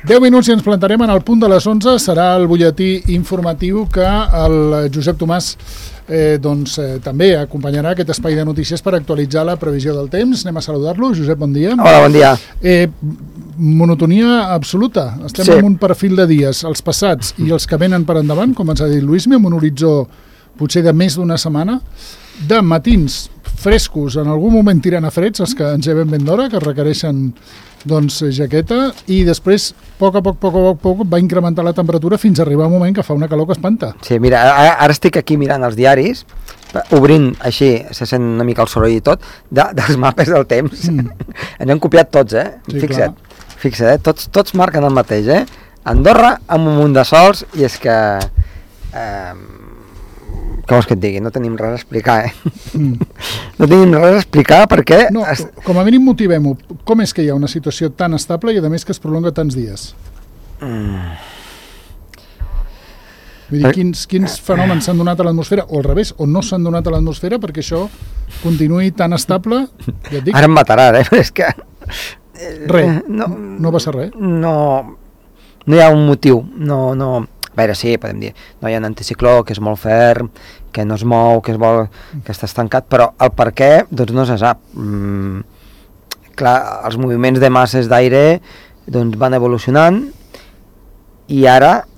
10 minuts i ens plantarem en el punt de les 11. Serà el butlletí informatiu que el Josep Tomàs també acompanyarà aquest espai de notícies per actualitzar la previsió del temps. Anem a saludar-lo. Josep, bon dia. Hola, bon dia. Monotonia absoluta. Estem en un perfil de dies, els passats i els que venen per endavant, com ens ha dit Luismi, amb un horitzó potser de més d'una setmana, de matins frescos, en algun moment tirant a freds, els que ens lleven ben d'hora, que requereixen jaqueta, i després, a poc a poc, va incrementar la temperatura fins a arribar un moment que fa una calor que espanta. Sí, mira, ara estic aquí mirant els diaris, obrint així, se sent una mica el soroll i tot, dels mapes del temps. N'hem copiat tots, Sí, fixa't, tots marquen el mateix, Andorra amb un munt de sols, i és que... Què vols que et digui? No tenim res a explicar, No tenim res a explicar perquè... No, com a mínim motivem-ho. Com és que hi ha una situació tan estable i a més que es prolonga tants dies? Vull dir, quins fenòmens s'han donat a l'atmosfera, o al revés, o no s'han donat a l'atmosfera perquè això continuï tan estable? Ja et dic. Ara em matarà, és que... Res, no passa res. No hi ha un motiu, no... A veure, sí, podem dir, no hi ha un anticicló que és molt ferm, que no es mou, que està estancat, però el per què, doncs no se sap. Clar, els moviments de masses d'aire doncs van evolucionant i ara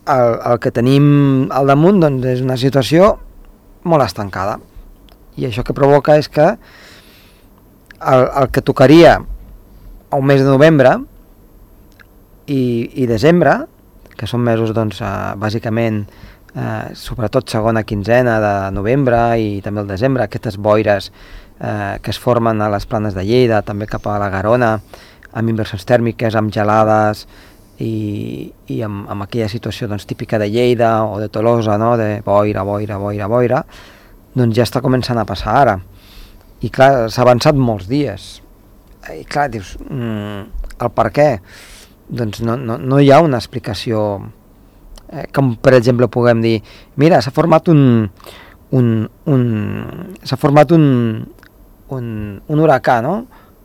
el que tenim al damunt doncs, és una situació molt estancada. I això que provoca és que el que tocaria al mes de novembre i desembre, que són mesos, doncs, bàsicament, sobretot segona quinzena de novembre i també el desembre, aquestes boires que es formen a les planes de Lleida, també cap a la Garona, amb inversions tèrmiques, amb gelades i amb aquella situació doncs, típica de Lleida o de Tolosa, no? De boira, doncs ja està començant a passar ara. I clar, s'ha avançat molts dies. I clar, dius, el per què? Doncs no hi ha una explicació com per exemple puguem dir mira, s'ha format un huracà, no?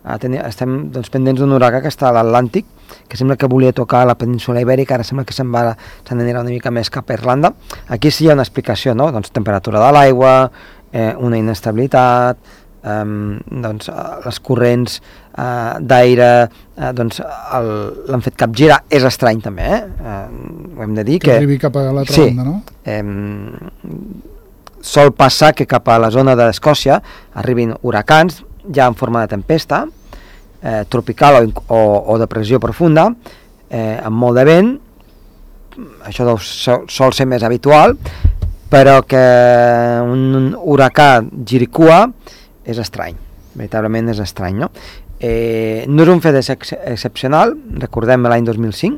Estem doncs, pendents d'un huracà que està a l'Atlàntic, que sembla que volia tocar a la península Ibèrica, ara sembla que s'anirà una mica més cap a Irlanda. Aquí sí hi ha una explicació, no? Doncs temperatura de l'aigua, una inestabilitat, doncs, les corrents d'aire doncs, l'han fet capgirar. És estrany també, ho hem de dir que arribi cap a l'altra banda, no? Sol passar que cap a la zona d'Escòcia arribin huracans ja en forma de tempesta tropical o de pressió profunda, amb molt de vent. Això sol ser més habitual, però que un huracà giri cua és estrany, veritablement és estrany, no? No és un fet excepcional, recordem l'any 2005,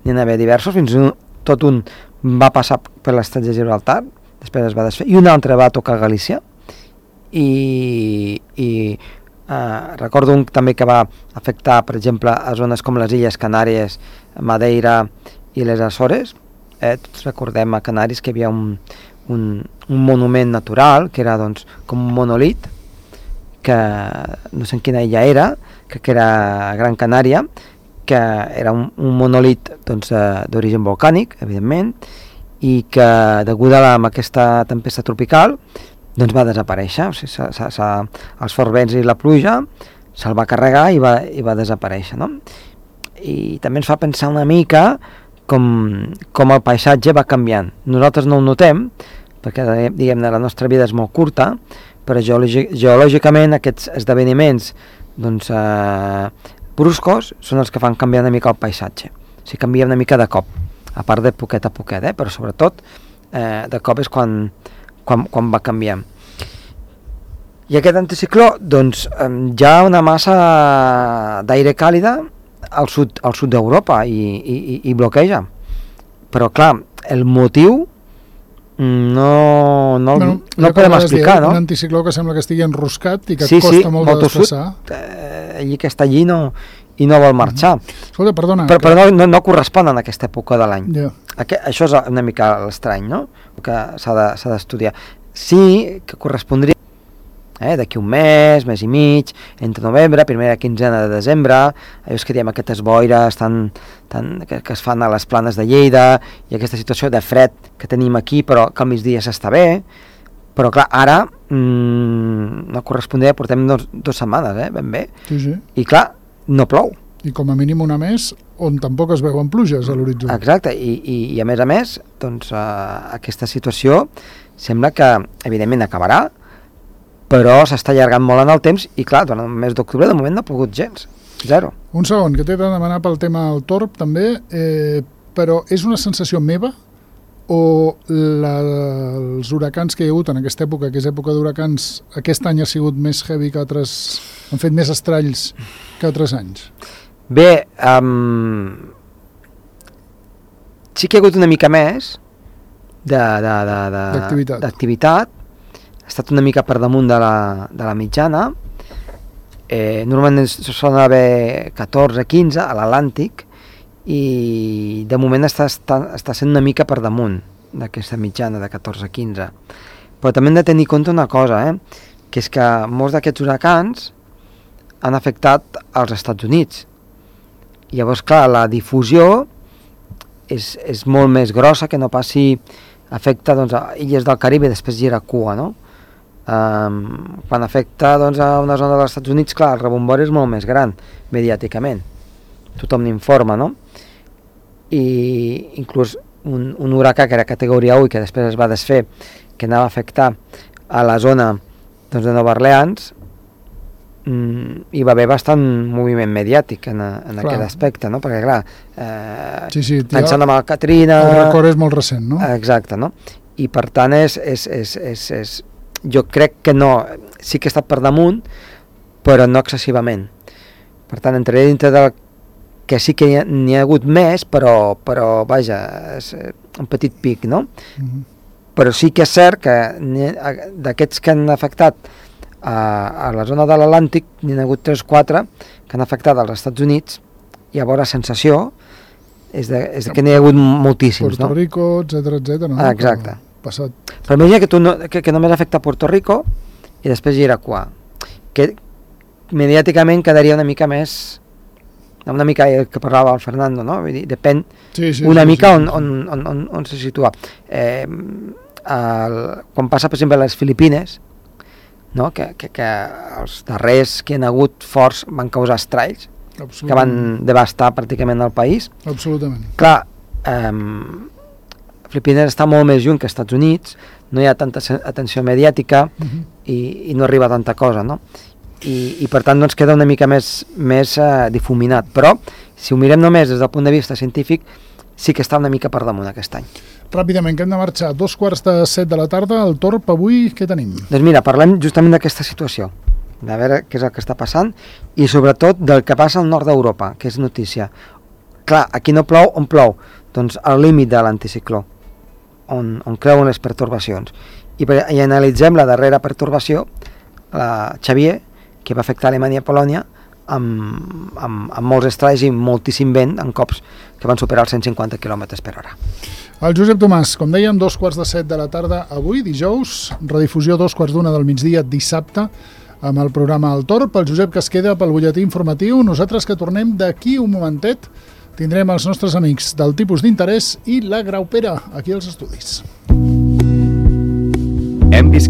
n'hi va haver diversos, fins tot un va passar per l'estat de Gibraltar, després es va desfer, i un altre va tocar Galícia, i recordo un també que va afectar, per exemple, a zones com les Illes Canàries, Madeira i les Açores. Tots recordem a Canàries que hi havia un monument natural, que era doncs, com un monolit, que no sé en quina illa era, que era Gran Canària, que era un monolit doncs, d'origen volcànic, evidentment, i que deguda a aquesta tempesta tropical doncs va desaparèixer. O sigui, els forts vents i la pluja se'l va carregar i va desaparèixer, no? I també ens fa pensar una mica com el paisatge va canviant. Nosaltres no ho notem, perquè diguem-ne la nostra vida és molt curta, però geològicament aquests esdeveniments doncs, bruscos són els que fan canviar una mica el paisatge. O sigui, canvia una mica de cop, a part de poquet a poquet, però sobretot de cop és quan va canviant. I aquest anticicló, doncs, hi ha una massa d'aire càlida al sud d'Europa i bloqueja. Però, clar, el motiu no podem explicar, no? Un anticicló que sembla que estigui enroscat i que costa molt de desplaçar. Allí que està allí i no vol marxar. Escolta, perdona. Però no correspon a aquesta època de l'any. Això és una mica l'estrany, no? Que s'ha d'estudiar. Sí que correspondria, d'aquí un mes i mig, entre novembre, primera quinzena de desembre, allò que diem aquestes boires que es fan a les planes de Lleida, i aquesta situació de fred que tenim aquí, però que al migdia s'està bé, però clar, ara no correspondria, portem 2 setmanes, ben bé, Sí. I clar, no plou. I com a mínim una més on tampoc es veuen pluges a l'horitzó. Exacte, i a més, doncs, aquesta situació sembla que evidentment acabarà, però s'està allargant molt en el temps i clar, durant el mes d'octubre de moment no ha pogut gens, 0. Un segon, que t'he de demanar pel tema del torb també, però és una sensació meva o els huracans que hi ha hagut en aquesta època, que és època d'huracans, aquest any ha sigut més heavy que altres, han fet més estralls que altres anys? Bé, sí que hi ha hagut una mica més d'activitat, ha estat una mica per damunt de la mitjana, normalment solen haver 14-15 a l'Atlàntic, i de moment està sent una mica per damunt d'aquesta mitjana de 14-15. Però també hem de tenir en compte una cosa, que és que molts d'aquests huracans han afectat als Estats Units. Llavors, clar, la difusió és molt més grossa que no passi afecta doncs, a illes del Caribe i després gira cua, no? Quan afecta doncs, a una zona dels Estats Units, clar, el rebombori és molt més gran mediàticament, tothom n'informa, no? I inclús un huracà que era categoria 1 i que després es va desfer, que anava a afectar a la zona doncs, de Nova Orleans, hi va haver bastant moviment mediàtic en aquest aspecte, no? Perquè clar, pensant en el Katrina... El record és molt recent, no? Exacte, no? I per tant jo crec que no, sí que ha estat per damunt, però no excessivament. Per tant, entraré dintre del que sí que n'hi ha hagut més, però vaja, és un petit pic, no? Però sí que és cert que d'aquests que han afectat a la zona de l'Atlàntic n'hi ha hagut 3-4 que han afectat als Estats Units, i llavors la sensació és que n'hi ha hagut moltíssims, Puerto Rico, etcètera, no? Exacte. Passat. Però imagina que només afecta Puerto Rico i després Iraquà, que mediàticament quedaria una mica més, una mica que parlava el Fernando, no? Vull dir, depèn una mica on se situa. Quan passa, per exemple, a les Filipines, no? Que els darrers que hi ha hagut forts van causar estralls que van devastar pràcticament el país. Absolutament. Clar, Filipines està molt més lluny que als Estats Units, no hi ha tanta atenció mediàtica i no arriba tanta cosa, no? I per tant doncs queda una mica més difuminat, però si ho mirem només des del punt de vista científic sí que està una mica per damunt aquest any. Ràpidament, que hem de marxar, 2:45 de la tarda, el torb avui què tenim? Doncs mira, parlem justament d'aquesta situació, de veure què és el que està passant i sobretot del que passa al nord d'Europa, que és notícia. Clar, aquí no plou, on plou? Doncs al límit de l'anticicló, on creuen les pertorbacions. I analitzem la darrera pertorbació, la Xavier, que va afectar Alemanya i Polònia, amb molts estralls i moltíssim vent, en cops que van superar els 150 km/h. El Josep Tomàs, com dèiem, 2:45 de la tarda avui, dijous, redifusió 2:15 del migdia dissabte, amb el programa El Torb, el Josep que es queda pel butlletí informatiu, nosaltres que tornem d'aquí un momentet, tindrem els nostres amics del tipus d'interès i la Graupera, aquí als estudis. Hem vist